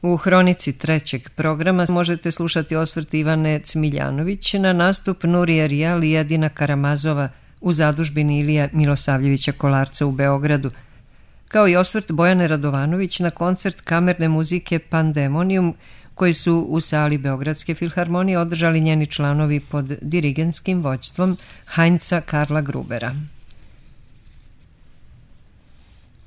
U hronici trećeg programa možete slušati osvrt Ivane Cmiljanović na nastup Nurije Rijal i Edina Karamazova u zadužbini Ilija Milosavljevića Kolarca u Beogradu, kao i osvrt Bojane Radovanović na koncert kamerne muzike Pandemonium koji su u sali Beogradske filharmonije održali njeni članovi pod dirigentskim vođstvom Heinza Karla Grubera.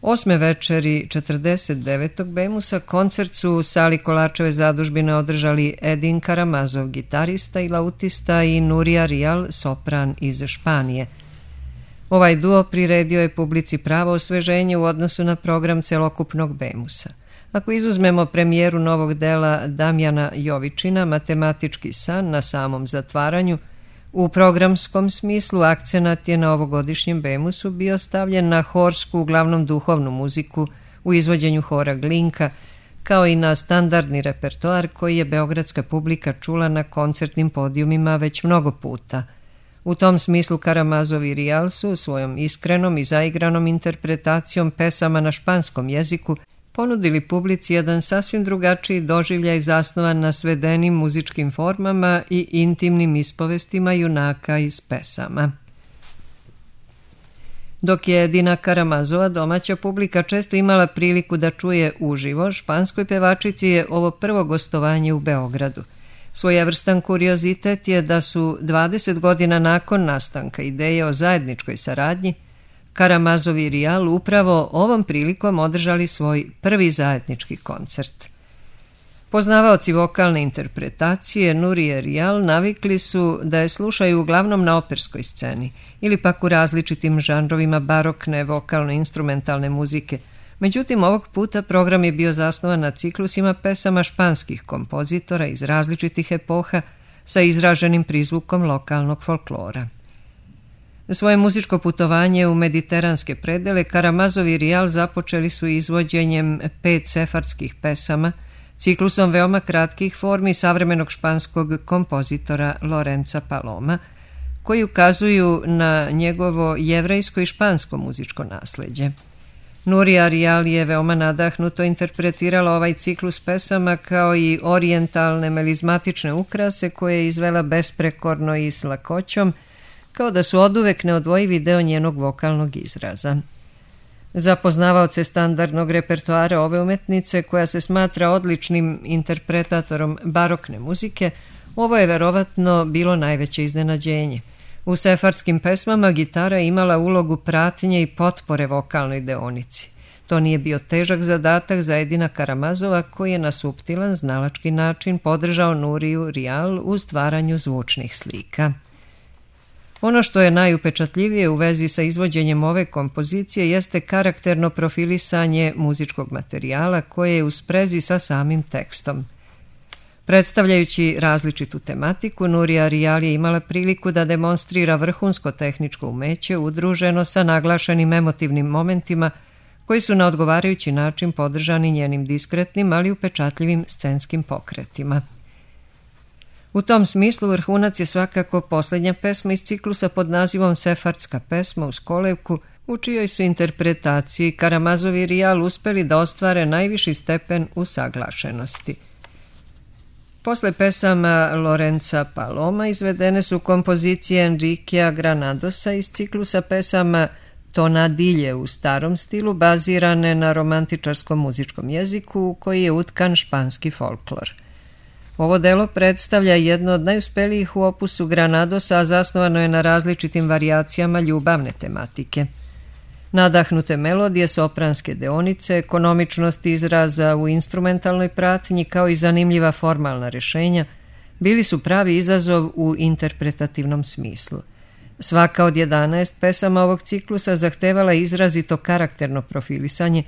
8. večeri 49. Bemusa koncert su u sali Kolarčeve zadužbine održali Edin Karamazov, gitarista i lautista, i Nurija Rijal, sopran iz Španije. Ovaj duo priredio je publici pravo osveženje u odnosu na program celokupnog Bemusa. Ako izuzmemo premijeru novog dela Damjana Jovičina, Matematički san, na samom zatvaranju, u programskom smislu akcenat je na ovogodišnjem Bemusu bio stavljen na horsku, uglavnom duhovnu muziku u izvođenju hora Glinka, kao i na standardni repertoar koji je beogradska publika čula na koncertnim podijumima već mnogo puta. U tom smislu Karamazov i Rijal su svojom iskrenom i zaigranom interpretacijom pesama na španskom jeziku ponudili publici jedan sasvim drugačiji doživljaj zasnovan na svedenim muzičkim formama i intimnim ispovestima junaka iz pesama. Dok je Edina Karamazova domaća publika često imala priliku da čuje uživo, španskoj pevačici je ovo prvo gostovanje u Beogradu. Svojevrstan kuriozitet je da su 20 godina nakon nastanka ideje o zajedničkoj saradnji Karamazov i Rijal upravo ovom prilikom održali svoj prvi zajednički koncert. Poznavaoci vokalne interpretacije Nurije Rijal navikli su da je slušaju uglavnom na operskoj sceni ili pak u različitim žanrovima barokne vokalno-instrumentalne muzike. Međutim, ovog puta program je bio zasnovan na ciklusima pesama španskih kompozitora iz različitih epoha sa izraženim prizvukom lokalnog folklora. Svoje muzičko putovanje u mediteranske predele Karamazov i Rijal započeli su izvođenjem 5 sefardskih pesama, ciklusom veoma kratkih formi savremenog španskog kompozitora Lorenza Paloma, koji ukazuju na njegovo jevrejsko i špansko muzičko nasleđe. Nurija Rijal je veoma nadahnuto interpretirala ovaj ciklus pesama kao i orijentalne melizmatične ukrase koje je izvela besprekorno i s lakoćom, kao da su oduvek neodvojivi deo njenog vokalnog izraza. Za poznavaoce standardnog repertoara ove umetnice, koja se smatra odličnim interpretatorom barokne muzike, ovo je verovatno bilo najveće iznenađenje. U sefardskim pesmama gitara je imala ulogu pratnje i potpore vokalnoj deonici. To nije bio težak zadatak za Edina Karamazova, koji je na suptilan, znalački način podržao Nuriju Rijal u stvaranju zvučnih slika. Ono što je najupečatljivije u vezi sa izvođenjem ove kompozicije jeste karakterno profilisanje muzičkog materijala koje je u sprezi sa samim tekstom. Predstavljajući različitu tematiku, Nurija Rijal je imala priliku da demonstrira vrhunsko tehničko umeće udruženo sa naglašenim emotivnim momentima koji su na odgovarajući način podržani njenim diskretnim, ali upečatljivim scenskim pokretima. U tom smislu vrhunac je svakako posljednja pesma iz ciklusa pod nazivom Sefardska pesma uz kolevku, u čijoj su interpretaciji Karamazov i Rijal uspeli da ostvare najviši stepen usaglašenosti. Posle pesama Lorenza Paloma izvedene su kompozicije Enriquea Granadosa iz ciklusa pesama Tonadilje u starom stilu, bazirane na romantičarskom muzičkom jeziku u koji je utkan španski folklor. Ovo delo predstavlja jedno od najuspelijih u opusu Granadosa, a zasnovano je na različitim varijacijama ljubavne tematike. Nadahnute melodije, sopranske deonice, ekonomičnost izraza u instrumentalnoj pratnji kao i zanimljiva formalna rešenja bili su pravi izazov u interpretativnom smislu. Svaka od 11 pesama ovog ciklusa zahtevala izrazito karakterno profilisanje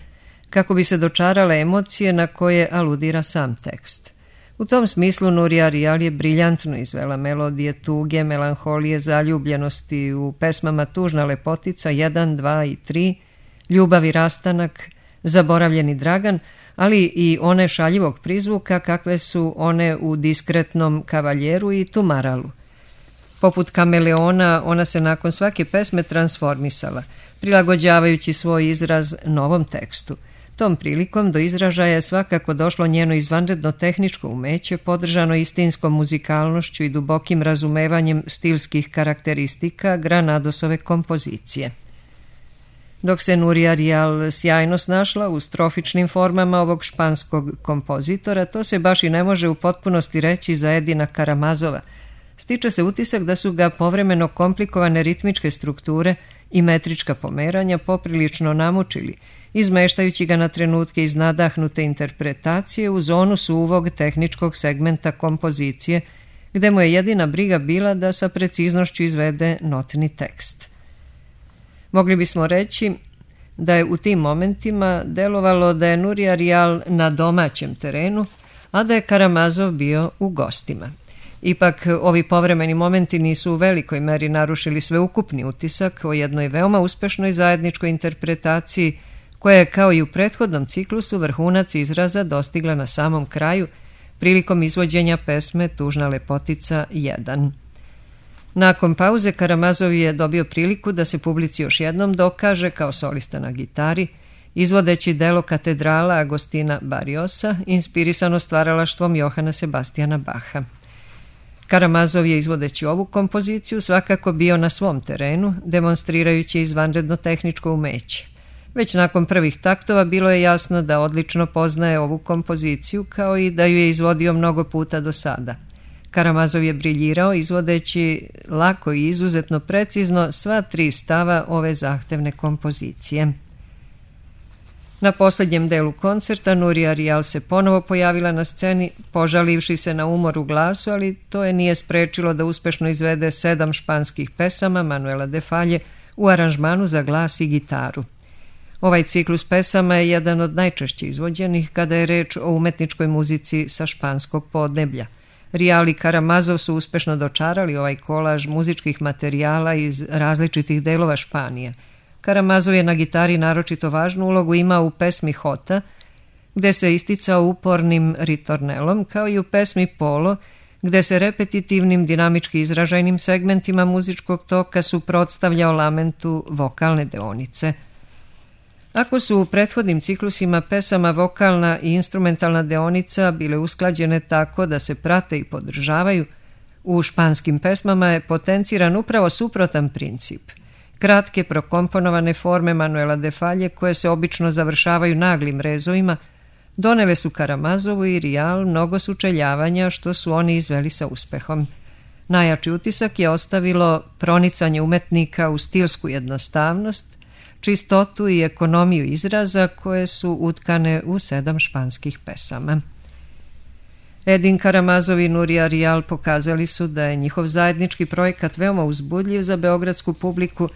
kako bi se dočarale emocije na koje aludira sam tekst. U tom smislu Nurija Rijal je briljantno izvela melodije tuge, melanholije, zaljubljenosti u pesmama Tužna lepotica 1, 2 i 3, Ljubav i rastanak, Zaboravljeni Dragan, ali i one šaljivog prizvuka kakve su one u Diskretnom kavaljeru i Tumaralu. Poput kameleona, ona se nakon svake pesme transformisala, prilagođavajući svoj izraz novom tekstu. Tom prilikom do izražaja je svakako došlo njeno izvanredno tehničko umeće, podržano istinskom muzikalnošću i dubokim razumevanjem stilskih karakteristika Granadosove kompozicije. Dok se Núria Rial sjajno snašla u strofičnim formama ovog španskog kompozitora, to se baš i ne može u potpunosti reći za Edina Karamazova. Stiče se utisak da su ga povremeno komplikovane ritmičke strukture i metrička pomeranja poprilično namučili, izmeštajući ga na trenutke iz nadahnute interpretacije u zonu suvog tehničkog segmenta kompozicije, gde mu je jedina briga bila da sa preciznošću izvede notni tekst. Mogli bismo reći da je u tim momentima delovalo da je Núria Rial na domaćem terenu, a da je Karamazov bio u gostima. Ipak, ovi povremeni momenti nisu u velikoj meri narušili sveukupni utisak o jednoj veoma uspešnoj zajedničkoj interpretaciji, koja je kao i u prethodnom ciklusu vrhunac izraza dostigla na samom kraju prilikom izvođenja pesme Tužna lepotica 1. Nakon pauze Karamazov je dobio priliku da se publici još jednom dokaže kao solista na gitari, izvodeći delo Katedrala Agostina Barriosa, inspirisano stvaralaštvom Johana Sebastiana Bacha. Karamazov je izvodeći ovu kompoziciju svakako bio na svom terenu, demonstrirajući izvanredno tehničko umeće. Već nakon prvih taktova bilo je jasno da odlično poznaje ovu kompoziciju, kao i da ju je izvodio mnogo puta do sada. Karamazov je briljirao izvodeći lako i izuzetno precizno sva 3 stava ove zahtevne kompozicije. Na posljednjem delu koncerta Núria Rial se ponovo pojavila na sceni, požalivši se na umor u glasu, ali to je nije sprečilo da uspešno izvede 7 španskih pesama Manuela de Falle u aranžmanu za glas i gitaru. Ovaj ciklus pesama je jedan od najčešće izvođenih kada je reč o umetničkoj muzici sa španskog podneblja. Rial i Karamazov su uspešno dočarali ovaj kolaž muzičkih materijala iz različitih delova Španije. Karamazov je na gitari naročito važnu ulogu imao u pesmi Hota, gde se isticao upornim ritornelom, kao i u pesmi Polo, gde se repetitivnim dinamički izražajnim segmentima muzičkog toka suprotstavljao lamentu vokalne deonice. Ako su u prethodnim ciklusima pesama vokalna i instrumentalna deonica bile usklađene tako da se prate i podržavaju, u španskim pesmama je potenciran upravo suprotan princip. Kratke prokomponovane forme Manuela de Falle, koje se obično završavaju naglim rezovima, donele su Karamazovu i Rial mnogo sučeljavanja, što su oni izveli sa uspehom. Najjači utisak je ostavilo pronicanje umetnika u stilsku jednostavnost, čistotu i ekonomiju izraza koje su utkane u 7 španskih pesama. Edin Karamazov i Núria Rial pokazali su da je njihov zajednički projekat veoma uzbudljiv za beogradsku publiku,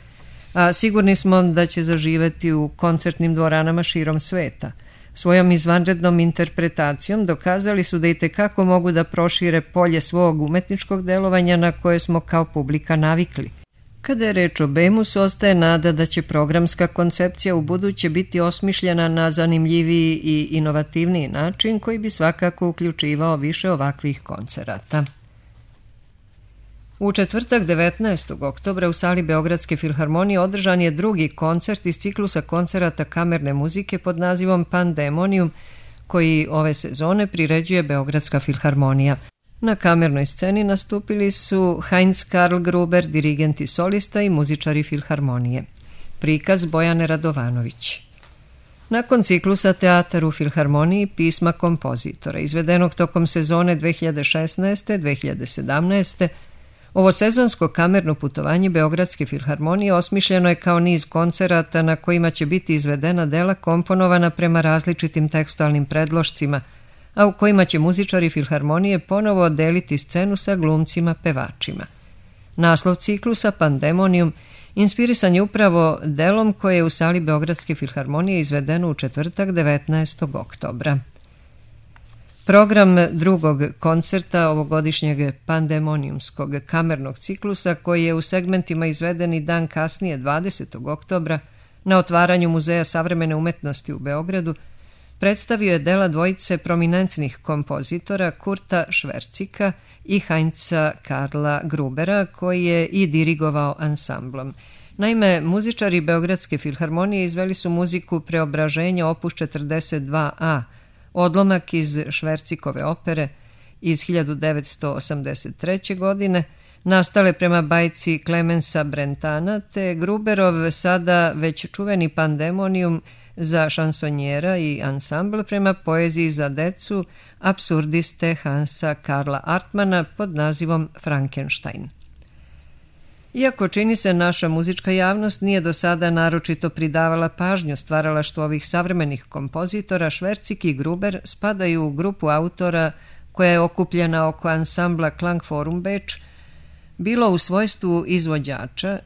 a sigurni smo da će zaživeti u koncertnim dvoranama širom sveta. Svojom izvanrednom interpretacijom dokazali su da itekako mogu da prošire polje svog umetničkog delovanja na koje smo kao publika navikli. Kada je reč o Bemusu, ostaje nada da će programska koncepcija u buduće biti osmišljena na zanimljiviji i inovativniji način koji bi svakako uključivao više ovakvih koncerata. U četvrtak 19. oktobra u sali Beogradske filharmonije održan je drugi koncert iz ciklusa koncerata kamerne muzike pod nazivom Pandemonium, koji ove sezone priređuje Beogradska filharmonija. Na kamernoj sceni nastupili su Heinz Karl Gruber, dirigent i solista i muzičari filharmonije. Prikaz Bojane Radovanović. Nakon ciklusa Teatar u filharmoniji pisma kompozitora, izvedenog tokom sezone 2016-2017, ovo sezonsko kamerno putovanje Beogradske filharmonije osmišljeno je kao niz koncerata na kojima će biti izvedena dela komponovana prema različitim tekstualnim predlošcima, a u kojima će muzičari filharmonije ponovo deliti scenu sa glumcima pevačima. Naslov ciklusa Pandemonium inspirisan je upravo delom koje je u sali Beogradske filharmonije izvedeno u četvrtak 19. oktobra. Program drugog koncerta ovogodišnjeg pandemoniumskog kamernog ciklusa, koji je u segmentima izveden i dan kasnije 20. oktobra na otvaranju Muzeja savremene umetnosti u Beogradu, predstavio je dela dvojice prominentnih kompozitora Kurta Švercika i Heinza Karla Grubera, koji je i dirigovao ansamblom. Naime, muzičari Beogradske filharmonije izveli su muziku Preobraženja opus 42a, odlomak iz Švercikove opere iz 1983. godine, nastale prema bajci Klemensa Brentana, te Gruberov sada već čuveni Pandemonium za šansonjera i ansambl prema poeziji za decu apsurdiste Hansa Karla Artmana pod nazivom Frankenstein. Iako čini se naša muzička javnost nije do sada naročito pridavala pažnju stvaralaštvu ovih savremenih kompozitora, Švercik i Gruber spadaju u grupu autora koja je okupljena oko ansambla Klangforum Beč, bilo u svojstvu izvođača,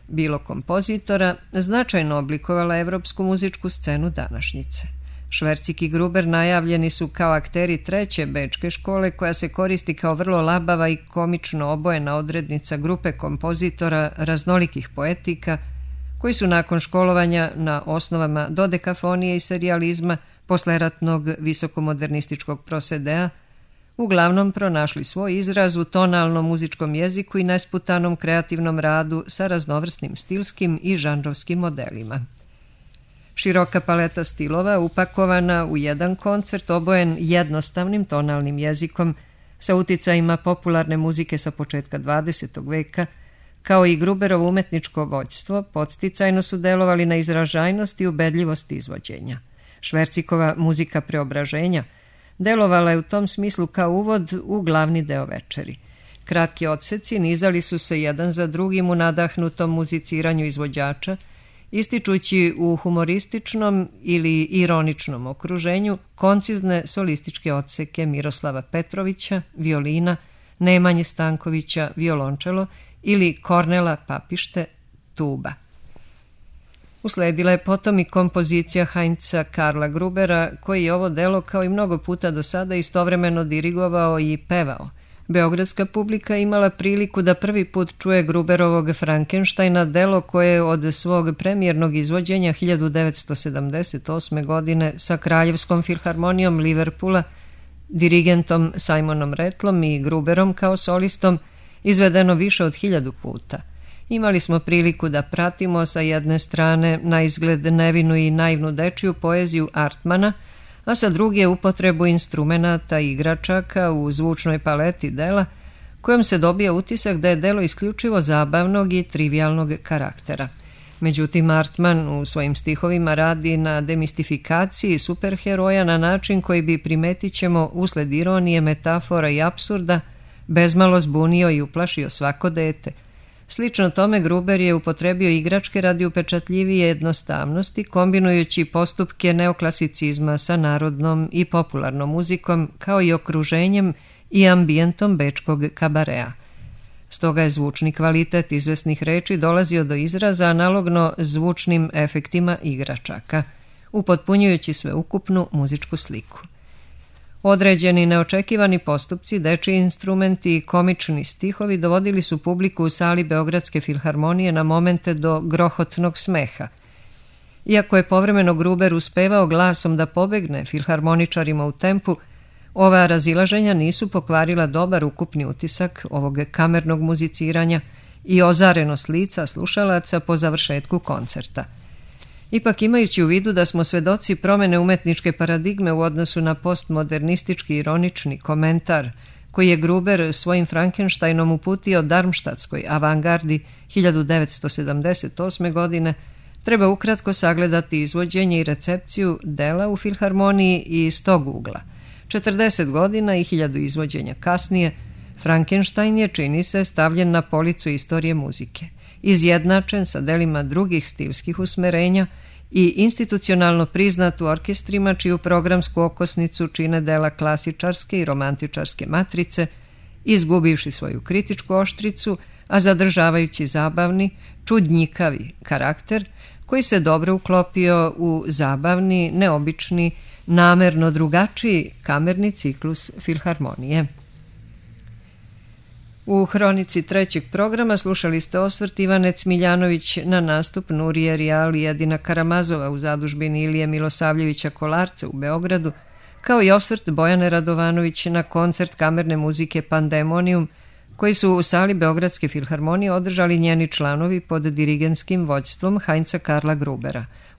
bilo kompozitora, značajno oblikovala evropsku muzičku scenu današnjice. Švercik i Gruber najavljeni su kao akteri treće bečke škole koja se koristi kao vrlo labava i komično obojena odrednica grupe kompozitora raznolikih poetika koji su nakon školovanja na osnovama dodekafonije i serijalizma posleratnog visokomodernističkog prosedea uglavnom pronašli svoj izraz u tonalnom muzičkom jeziku i nesputanom kreativnom radu sa raznovrsnim stilskim i žanrovskim modelima. Široka paleta stilova upakovana u jedan koncert obojen jednostavnim tonalnim jezikom sa uticajima popularne muzike sa početka 20. veka, kao i Gruberovo umetničko vođstvo, podsticajno su delovali na izražajnost i ubedljivost izvođenja. Švercikova muzika Preobraženja delovala je u tom smislu kao uvod u glavni deo večeri. Kratki odseci nizali su se jedan za drugim u nadahnutom muziciranju izvođača, ističući u humorističnom ili ironičnom okruženju koncizne solističke odseke Miroslava Petrovića, violina, Nemanje Stankovića, violončelo ili Kornela Papište, tuba. Usledila je potom i kompozicija Heinza Karla Grubera, koji je ovo delo kao i mnogo puta do sada istovremeno dirigovao i pevao. Beogradska publika imala priliku da prvi put čuje Gruberovog Frankensteina, delo koje je od svog premijernog izvođenja 1978. godine sa Kraljevskom filharmonijom Liverpoola, dirigentom Simonom Rattlom i Gruberom kao solistom, izvedeno više od 1000 puta. Imali smo priliku da pratimo sa jedne strane na izgled nevinu i naivnu dečiju poeziju Artmana, a sa druge upotrebu instrumenata i igračaka u zvučnoj paleti dela, kojom se dobija utisak da je delo isključivo zabavnog i trivialnog karaktera. Međutim, Artman u svojim stihovima radi na demistifikaciji superheroja na način koji bi, primetit ćemo, usled ironije, metafora i apsurda, bezmalo zbunio i uplašio svako dete. Slično tome Gruber je upotrebio igračke radi upečatljivije jednostavnosti, kombinujući postupke neoklasicizma sa narodnom i popularnom muzikom, kao i okruženjem i ambijentom bečkog kabarea. Stoga je zvučni kvalitet izvesnih reči dolazio do izraza analogno zvučnim efektima igračaka, upotpunjujući sveukupnu muzičku sliku. Određeni neočekivani postupci, dečiji instrumenti i komični stihovi dovodili su publiku u sali Beogradske filharmonije na momente do grohotnog smeha. Iako je povremeno Gruber uspevao glasom da pobegne filharmoničarima u tempu, ova razilaženja nisu pokvarila dobar ukupni utisak ovog kamernog muziciranja i ozarenost lica slušalaca po završetku koncerta. Ipak, imajući u vidu da smo svedoci promene umetničke paradigme u odnosu na postmodernistički ironični komentar koji je Gruber svojim Frankensteinom uputio Darmstadtskoj avangardi 1978. godine, treba ukratko sagledati izvođenje i recepciju dela u filharmoniji i iz tog ugla. 40 godina i 1000 izvođenja kasnije, Frankenstein je, čini se, stavljen na policu istorije muzike, izjednačen sa delima drugih stilskih usmerenja i institucionalno priznat u orkestrima čiju programsku okosnicu čine dela klasičarske i romantičarske matrice, izgubivši svoju kritičku oštricu, a zadržavajući zabavni, čudnjikavi karakter koji se dobro uklopio u zabavni, neobični, namerno drugačiji kamerni ciklus filharmonije. U hronici trećeg programa slušali ste osvrt Ivane Cmiljanović na nastup Nurije Rijal i Edina Karamazova u zadužbini Ilije Milosavljevića Kolarca u Beogradu, kao i osvrt Bojane Radovanović na koncert kamerne muzike Pandemonium, koji su u sali Beogradske filharmonije održali njeni članovi pod dirigentskim vođstvom Heinza Karla Grubera.